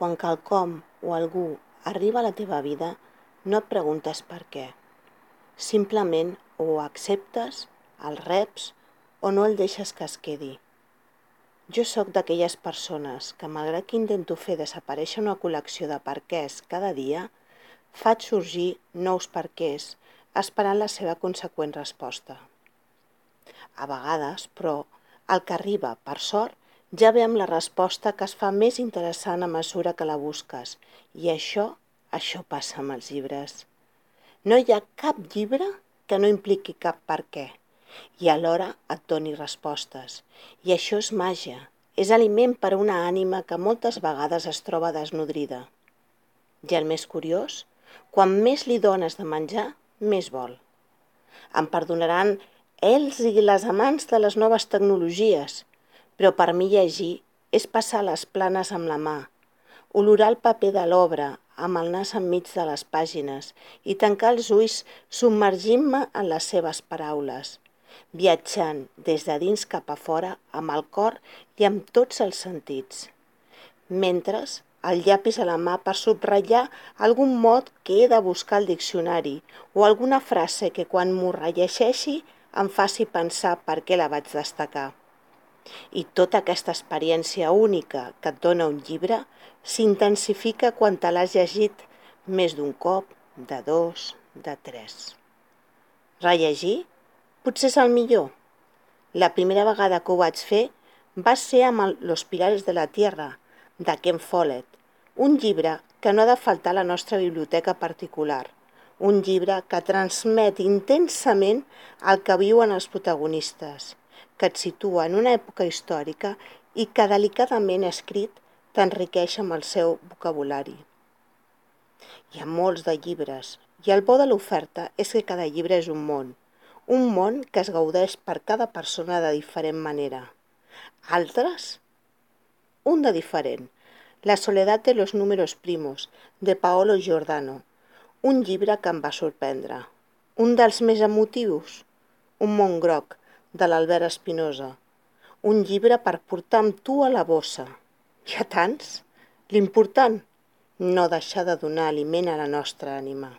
quan quelcom o algú arriba a la teva vida, no et preguntes per què. Simplement o acceptes, el reps o no el deixes que es quedi. Jo sóc d'aquelles persones que, malgrat que intento fer desaparèixer una col·lecció de perquès cada dia, faig sorgir nous perquès esperant la seva conseqüent resposta. A vegades, però, el que arriba, per sort, ja ve amb la resposta que es fa més interessant a mesura que la busques, i això passa amb els llibres. No hi ha cap llibre que no impliqui cap per què, i alhora et doni respostes. I això és màgia, és aliment per a una ànima que moltes vegades es troba desnodrida. I el més curiós, quan més li dones de menjar, més vol. Em perdonaran ells i les amants de les noves tecnologies, però per mi llegir és passar les planes amb la mà, olorar el paper de l'obra amb el nas enmig de les pàgines i tancar els ulls submergint-me en les seves paraules, viatjant des de dins cap a fora amb el cor i amb tots els sentits. Mentre el llapis a la mà per subratllar algun mot que he de buscar al diccionari o alguna frase que quan m'ho rellegeixi em faci pensar per què la vaig destacar. I tota aquesta experiència única que et dona un llibre s'intensifica quan te l'has llegit més d'un cop, de dos, de tres. Rellegir potser és el millor. La primera vegada que ho vaig fer va ser amb Los Pilares de la Tierra, de Ken Follett, un llibre que no ha de faltar a la nostra biblioteca particular, un llibre que transmet intensament el que viuen els protagonistes, que et situa en una època històrica i que delicadament escrit t'enriqueix amb el seu vocabulari. Hi ha molts de llibres, i el bo de l'oferta és que cada llibre és un món que es gaudeix per cada persona de diferent manera. Altres, un de diferent, La soledad de los números primos, de Paolo Giordano, un llibre que em va sorprendre. Un dels més emotius, Un món groc, de l'Albert Espinosa, un llibre per portar amb tu a la bossa. Hi ha tants? L'important, no deixar de donar aliment a la nostra ànima.